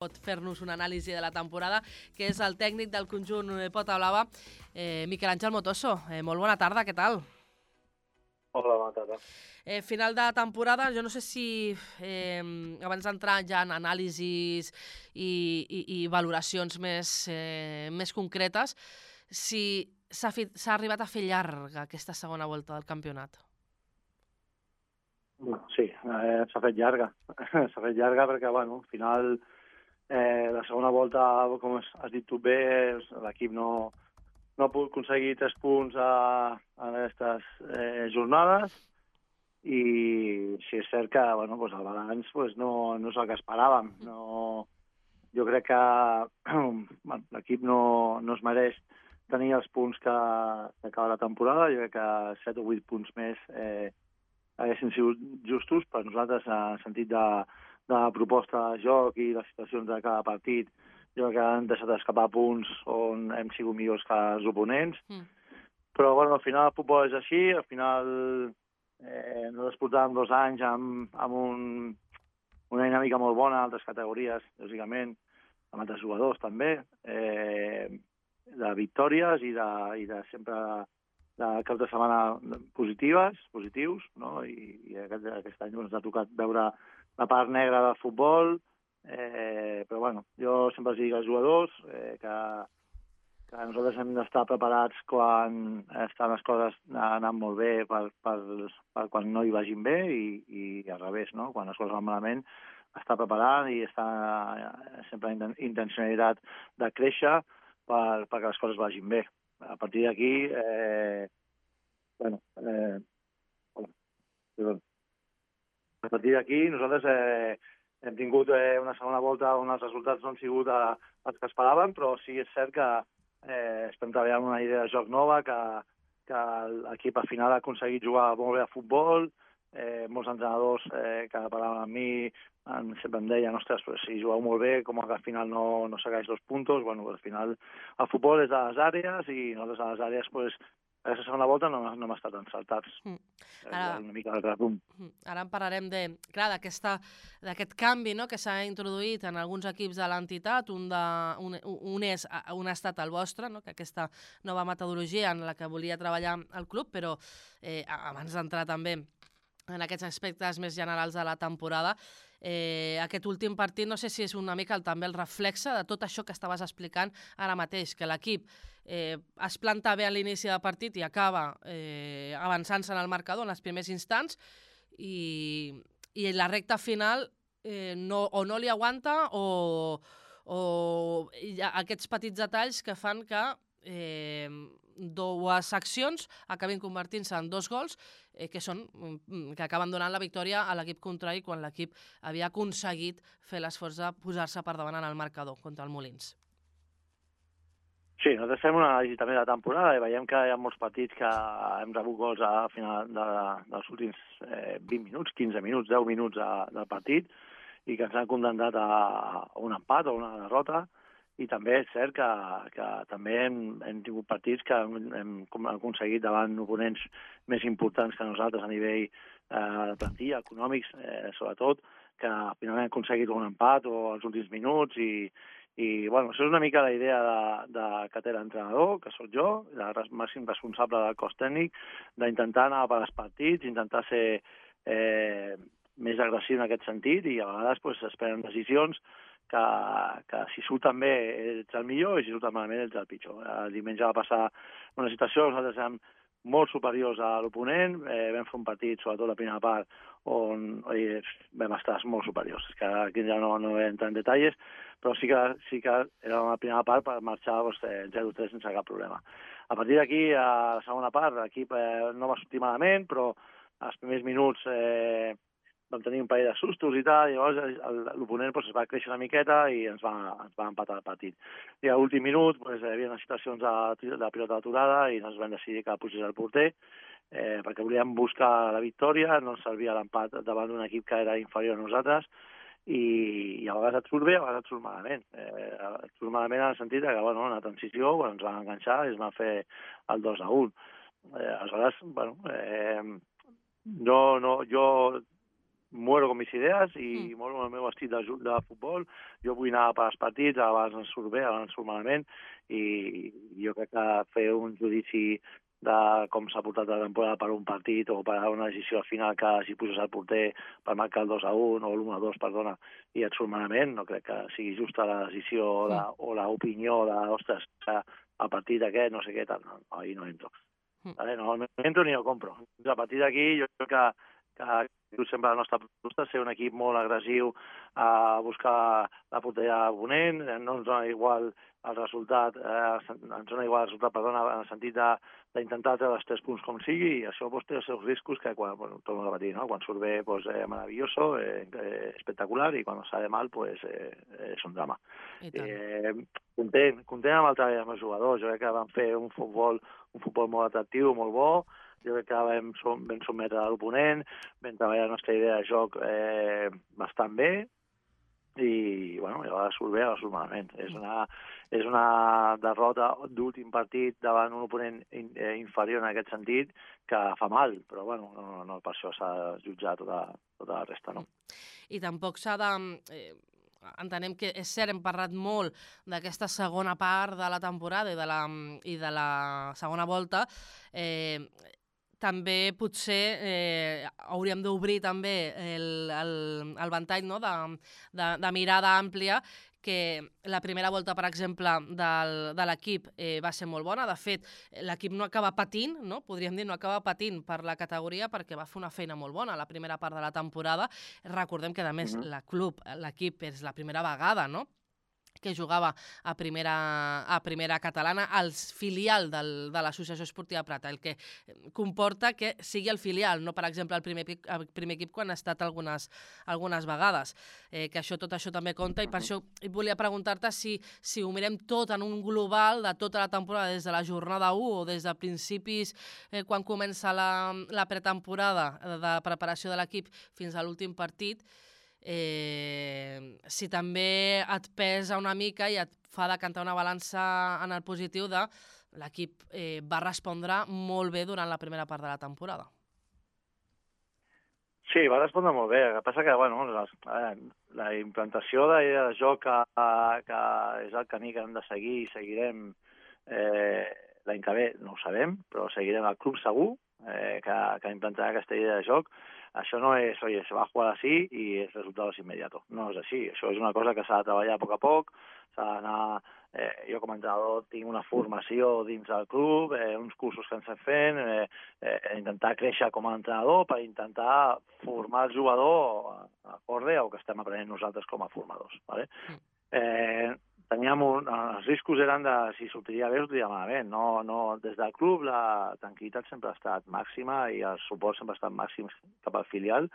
pot fer-nos una anàlisi de la temporada, que és el tècnic del conjunt Pota Blava, Miquel Àngel Motoso. Molt bona tarda, què tal? Hola, bona tarda. Final de temporada, jo no sé si abans d'entrar ja en anàlisis i valoracions més concretes, si s'ha arribat a fer llarga aquesta segona volta del campionat. Sí, s'ha fet llarga. S'ha fet llarga perquè, bueno, al final, la segona volta, com has dit tu bé, l'equip no ha pogut aconseguir 3 punts en aquestes jornades i sí és cert que bueno, doncs el balanç no és el que esperàvem. No, jo crec que bueno, l'equip no es mereix tenir els punts que acaba la temporada. Jo crec que 7 o 8 punts més haguessin sigut justos per nosaltres en el sentit de proposta de joc i les situacions de cada partit. Jo crec que han deixat escapar punts on hem sigut millors que els oponents. Però bueno, al final el futbol és així, al final nosaltres portàvem 2 anys amb una dinàmica molt bona, altres categories, lògicament, amb altres jugadors també, de victòries i de sempre de cap de setmana positius, no? I aquest any ens ha tocat veure la part negra del futbol, però bueno, jo sempre els dic als jugadors que nosaltres hem d'estar preparats quan estan les coses anant molt bé per quan no hi vagin bé i al revés, no? Quan les coses van malament, estar preparat i estar sempre amb intencionalitat de créixer perquè les coses vagin bé. A partir d'aquí, a partir d'aquí nosaltres hem tingut una segona volta on els resultats no han sigut els que esperàvem, però sí és cert que estem treballant una idea de joc nova, que l'equip al final ha aconseguit jugar molt bé a futbol. Molts entrenadors que parlaven amb mi sempre em deien, ostres, però si jugueu molt bé, com que al final no segueix los puntos. Bueno, al final el futbol és de les àrees i nosaltres a les àrees, pues, aquesta segona volta no hem estat encertats. Una mica de resum. Ara en parlarem d'aquest canvi, no?, que s'ha introduït en alguns equips de l'entitat. Un ha estat el vostre, no?, que aquesta nova metodologia en la que volia treballar el club, però abans d'entrar també en aquests aspectes més generals de la temporada, aquest últim partit no sé si és una mica també el reflexe de tot això que estaves explicant ara mateix, que l'equip es planta bé a l'inici del partit i acaba avançant-se en el marcador en els primers instants i la recta final no li aguanta o hi ha aquests petits detalls que fan que dues accions acabin convertint-se en 2 gols que acaben donant la victòria a l'equip contrari quan l'equip havia aconseguit fer l'esforç de posar-se per davant en el marcador contra el Molins. Sí, nosaltres fem una anàlisi també de la temporada i veiem que hi ha molts partits que hem rebut gols al final dels últims 20 minuts, 15 minuts, 10 minuts del partit i que ens han condemnat a un empat o una derrota. I també és cert que també hem tingut partits que hem aconseguit davant oponents més importants que nosaltres a nivell de plantilla, econòmics, sobretot, que finalment hem aconseguit un empat o els últims minuts i bueno, això és una mica la idea que té l'entrenador, que sóc jo, el màxim responsable del cos tècnic, d'intentar anar per als partits, intentar ser més agressiu en aquest sentit i a vegades pues, es prenen decisions que si surten bé ets el millor i si surten malament ets el pitjor. El diumenge va passar una situació, nosaltres érem molt superiors a l'oponent, vam fer un partit, sobretot la primera part, on vam estar molt superiors. És que aquí ja no entrar en detalls, però sí que era una primera part per marxar 0-3 sense cap problema. A partir d'aquí, a la segona part, l'equip no va sortir malament, però als primers minuts vam tenir un parell de sustos i tal, i llavors l'oponent es va créixer una miqueta i ens va empatar el partit. I a l'últim minut hi havia unes situacions de pilota aturada i ens vam decidir que pugés el porter perquè volíem buscar la victòria, no ens servia l'empat davant d'un equip que era inferior a nosaltres i a vegades et surt bé, a vegades et surt malament. Et surt malament en el sentit que en la transició ens van enganxar i es van fer el 2-1. Aleshores, jo muero con mis idees i moro el meu estil de futbol. Jo vull anar per als partits, abans ens surt bé, abans ens surt malament, i jo crec que fer un judici de com s'ha portat la temporada per un partit o per una decisió al final que si poses el porter per marcar el 2-1 o l'1-2, perdona, i et surt malament, no crec que sigui justa la decisió o l'opinió de, ostres, el partit aquest, no sé què, tal, no, ahir no entro. Vale? No entro ni ho compro. A partir d'aquí jo crec que diu sempre la nostra proposta, ser un equip molt agressiu a buscar la porteria oponent, no ens dona igual el resultat, perdona, en el sentit d'intentar treure els 3 punts com sigui, i això té els seus riscos que, quan, torno a repetir, no? Quan surt bé, maravilloso, espectacular, i quan sale mal, és un drama. Content amb el treball dels meus jugadors, jo crec que van fer un futbol molt atractiu, molt bo. Jo crec que vam sotmetre l'oponent, vam treballar la nostra idea de joc bastant bé, i a vegades surt bé, a vegades surt malament. És una derrota d'últim partit davant un oponent inferior en aquest sentit que fa mal, però no per això s'ha de jutjar tota la resta, no? I tampoc s'ha de... Entenem que, és cert, hem parlat molt d'aquesta segona part de la temporada i de la segona volta. També potser hauríem d'obrir també el ventall, no? de mirada àmplia, que la primera volta, per exemple, de l'equip va ser molt bona. De fet, l'equip no acaba patint, no? Podríem dir, no acaba patint per la categoria, perquè va fer una feina molt bona a la primera part de la temporada. Recordem que, a més, l'equip és la primera vegada, no?, que jugava a primera catalana, al filial de l'Associació Esportiva Prat, el que comporta que sigui el filial, no, per exemple, el primer equip quan ha estat algunes vegades. Que tot això també compta, i per això volia preguntar-te si ho mirem tot en un global de tota la temporada, des de la jornada 1 o des de principis, quan comença la pretemporada de preparació de l'equip fins a l'últim partit, si també et pesa una mica i et fa decantar una balança en el positiu de l'equip va respondre molt bé durant la primera part de la temporada. Sí, va respondre molt bé. El que passa que, la implantació de joc que és el camí que hem de seguir i seguirem l'any que ve, no ho sabem, però seguirem el club segur que implantarà aquesta idea de joc. Això no és, oye, se va a jugar así y el resultado es inmediato. No és així. Això és una cosa que s'ha de treballar a poc a poc, s'ha d'anar... Jo com a entrenador tinc una formació dins del club, uns cursos que ens estem fent, intentar créixer com a entrenador per intentar formar el jugador acorde al que estem aprenent nosaltres com a formadors. ¿Vale? Els riscos eren de si sortiria bé o sortiria malament. No, des del club la tranquil·litat sempre ha estat màxima i el suport sempre ha estat màxim cap al filial,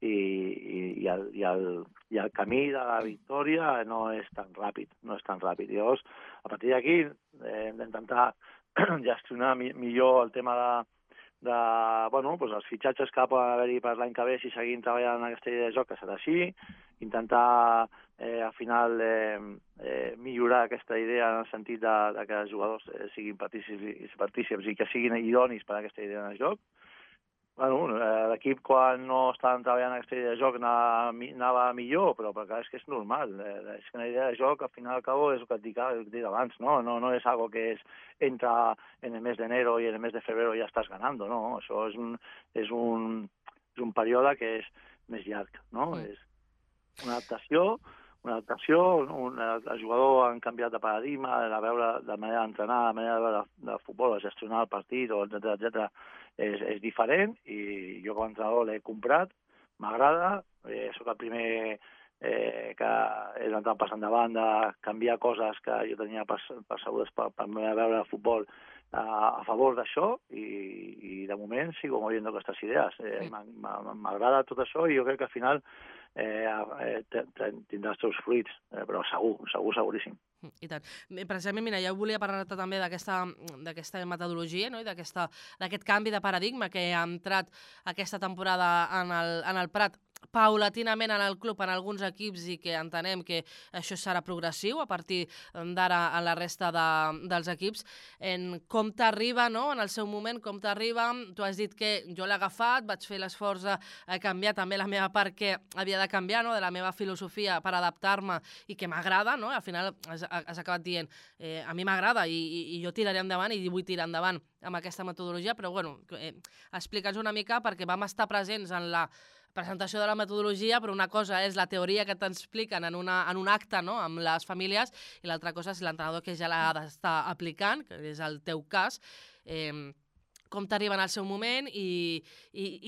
i el camí de la victòria no és tan ràpid. Llavors, a partir d'aquí hem d'intentar gestionar millor el tema els fitxatges que poden haver-hi per l'any que ve si seguim treballant en aquesta idea de joc, que serà així, intentar al final millorar aquesta idea en el sentit de que els jugadors siguin partícips i que siguin idonis per a aquesta idea de joc. L'equip, quan no estaven treballant aquesta idea de joc, anava millor, però és que és normal. És que una idea de joc, al final al cabo, és el que et dic abans, no? No és algo que entra en el mes de enero y en el mes de febrero ya estás ganando, no? Això és un període que és més llarg, no? És una adaptació, el jugador ha canviat de paradigma, de veure la manera d'entrenar, la manera de veure de futbol, de gestionar el partit, etc. És diferent, i jo com a entrenador l'he comprat, m'agrada, soc el primer que he anat passant davant de canviar coses que jo tenia percebudes per veure el futbol a favor d'això, i de moment sigo moviendo aquestes idees. M'agrada tot això, i jo crec que al final tindrà els seus fruits, però seguríssim. I tant. Precisament, mira, ja volia parlar-te també d'aquesta metodologia, no? I d'aquest canvi de paradigma que ha entrat aquesta temporada en el Prat, paulatinament en el club, en alguns equips, i que entenem que això serà progressiu a partir d'ara en la resta dels equips. Com t'arriba, no?, en el seu moment, com t'arriba, tu has dit que jo l'he agafat, vaig fer l'esforç de canviar també la meva part que havia de canviar, no?, de la meva filosofia per adaptar-me i que m'agrada, no?, al final has acabat dient a mi m'agrada i jo tiraré endavant i vull tirar endavant amb aquesta metodologia, però bueno, explica'ns una mica, perquè vam estar presents en la presentació de la metodologia, però una cosa és la teoria que t'expliquen en un acte, no?, amb les famílies, i l'altra cosa és l'entrenador que ja l'ha d'estar aplicant, que és el teu cas. Com t'arriba en el seu moment i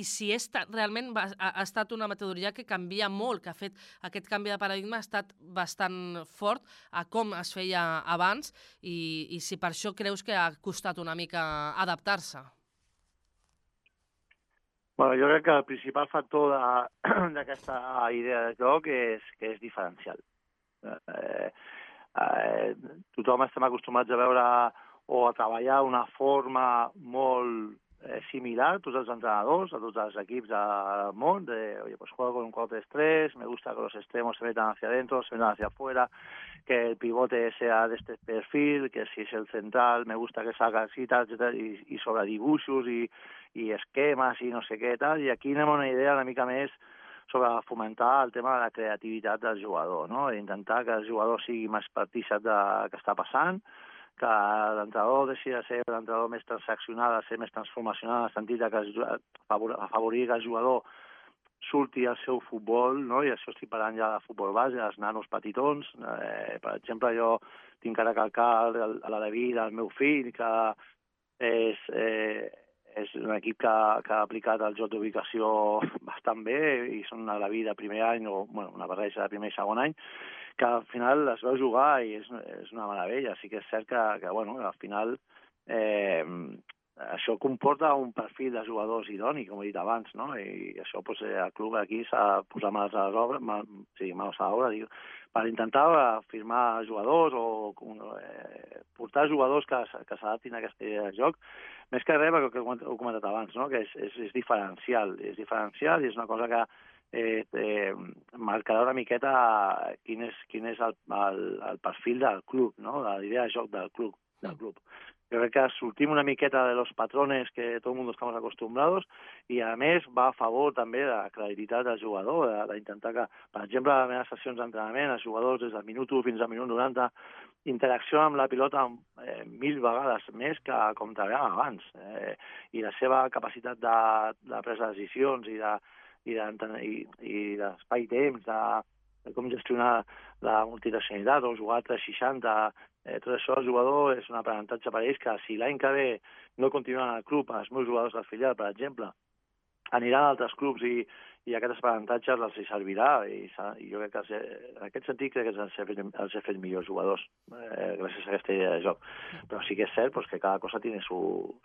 si realment ha estat una metodologia que canvia molt, que ha fet aquest canvi de paradigma, ha estat bastant fort a com es feia abans i si per això creus que ha costat una mica adaptar-se. Bueno, jo crec que el principal factor d'aquesta idea de joc és que és diferencial. Tothom estem acostumats a veure o a treballar una forma molt similar, tots els entrenadors, a tots els equips del món, oye, pues juego con un 4-3-3, me gusta que los extremos se metan hacia adentro, se metan hacia afuera, que el pivote sea de este perfil, que si es el central, me gusta que salga así, tal, tal, i sobre dibuixos i esquemes i no sé què, tal, i aquí anem a una idea una mica més sobre fomentar el tema de la creativitat del jugador, no? Intentar que el jugador sigui més partícip del que està passant, que l'entrenador deixi de ser l'entrenador més transaccional, de ser més transformacional, en el sentit que afavorir que el jugador surti al seu futbol, no? I això estic parlant ja de futbol base, dels nanos petitons. Per exemple, jo tinc que recalcar a la David, el meu fill, que és un equip que ha aplicat el joc d'ubicació bastant bé i són a la vida primer any o una barreja de primer i segon any, que al final es veu jugar i és una meravella. Sí que és cert que al final això comporta un perfil de jugadors idoni, com he dit abans, no? I això el club aquí s'ha de posar mans a l'obra, per intentar firmar jugadors o portar jugadors que s'adaptin a aquesta idea de joc, més que res, perquè ho he comentat abans, no? Que és diferencial, i és una cosa que marcarà una miqueta quin és el perfil del club, no? La idea de joc del club. Jo crec que sortim una miqueta de los patrones que tot el mundo estamos acostumbrados i, a més, va a favor també de la credibilitat del jugador, d'intentar que, per exemple, a les meves sessions d'entrenament, els jugadors des del minut 1 fins al minut 90 interaccionen amb la pilota 1000 vegades més que com treballàvem abans. I la seva capacitat de presa de decisions i d'espai-temps, de com gestionar la multidireccionalitat o jugar a 360, tot això el jugador és un aprenentatge per a ells que si l'any que ve no continuen al club, els meus jugadors del filial, per exemple, aniran a altres clubs i aquests aprenentatges els servirà i jo crec que en aquest sentit crec que els he fet millors jugadors gràcies a aquesta idea de joc. Però sí que és cert que cada cosa tiene su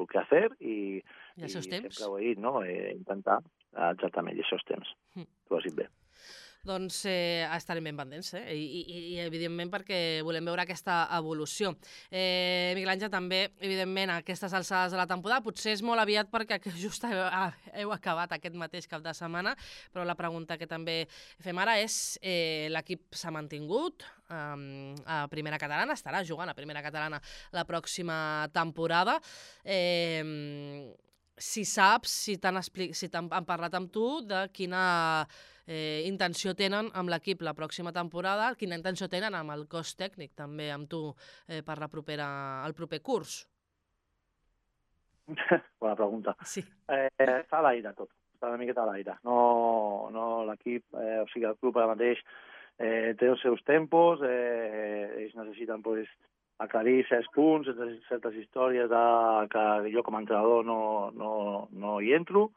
que hacer i sempre ho he dit, no? Intentar exactament, i això és temps. Tu ho has dit bé. Doncs estarem ben pendents, i evidentment perquè volem veure aquesta evolució. Miguel Àngel, també, evidentment, a aquestes alçades de la temporada, potser és molt aviat perquè just heu acabat aquest mateix cap de setmana, però la pregunta que també fem ara és l'equip s'ha mantingut a Primera Catalana, estarà jugant a Primera Catalana la pròxima temporada. Si saps, si han parlat amb tu de quina intenció tenen amb l'equip la pròxima temporada, quina intenció tenen amb el cos tècnic també amb tu per el proper curs? Bona pregunta. Sí. Està a l'aire tot, està una miqueta a l'aire. No l'equip, o sigui, el club ara mateix té els seus tempos, ells necessiten aclarir certs punts, certes històries que jo com a entrenador no hi entro,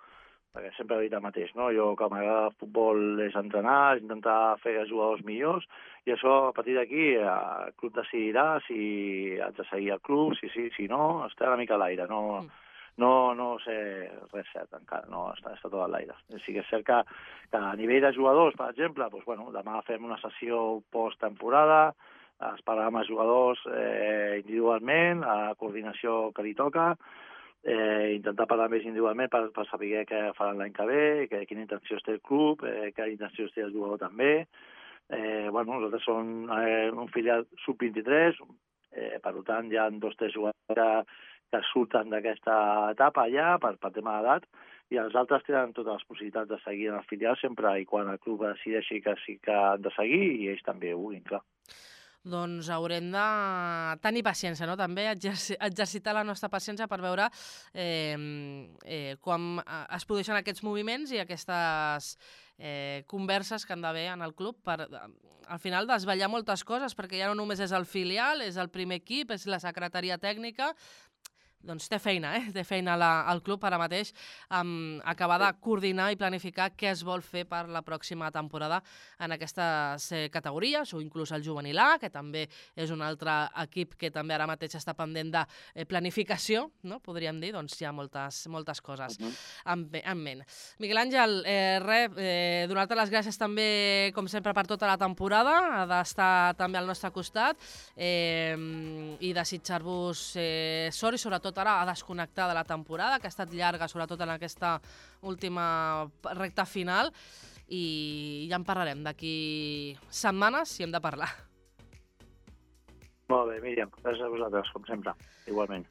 perquè sempre he dit el mateix, no? Jo, que m'agrada el futbol, és entrenar, és intentar fer els jugadors millors, i això, a partir d'aquí, el club decidirà si haig de seguir el club, si no, està una mica a l'aire, no sé res cert encara, no, està tot a l'aire. Sí que és cert que a nivell de jugadors, per exemple, demà fem una sessió post-temporada, es parlarà amb els jugadors individualment, a la coordinació que li toca, intentar parlar més individualment per saber què faran l'any que ve, quina intenció té el club, quina intenció té el jugador també. Nosaltres som un filial sub-23, per tant hi ha 2 o 3 jugadors que surten d'aquesta etapa ja per tema d'edat, i els altres tenen totes les possibilitats de seguir en el filial sempre i quan el club decideixi que sí que han de seguir i ells també ho vulguin, clar. Doncs haurem de tenir paciència, no? També exercitar la nostra paciència per veure quan es produeixen aquests moviments i aquestes converses que han d'haver en el club per, al final, desvetllar moltes coses, perquè ja no només és el filial, és el primer equip, és la secretaria tècnica. Doncs té feina, té feina el club ara mateix acabar de coordinar i planificar què es vol fer per la pròxima temporada en aquestes categories, o inclús el juvenil A, que també és un altre equip que també ara mateix està pendent de planificació, no? Podríem dir, doncs hi ha moltes coses en ment. Miguel Àngel, donar-te les gràcies també, com sempre, per tota la temporada, d'estar també al nostre costat i desitjar-vos sort i sobretot ara a desconnectar de la temporada, que ha estat llarga, sobretot en aquesta última recta final, i ja en parlarem d'aquí setmanes si hem de parlar. Molt bé, Míriam, gràcies a vosaltres, com sempre, igualment.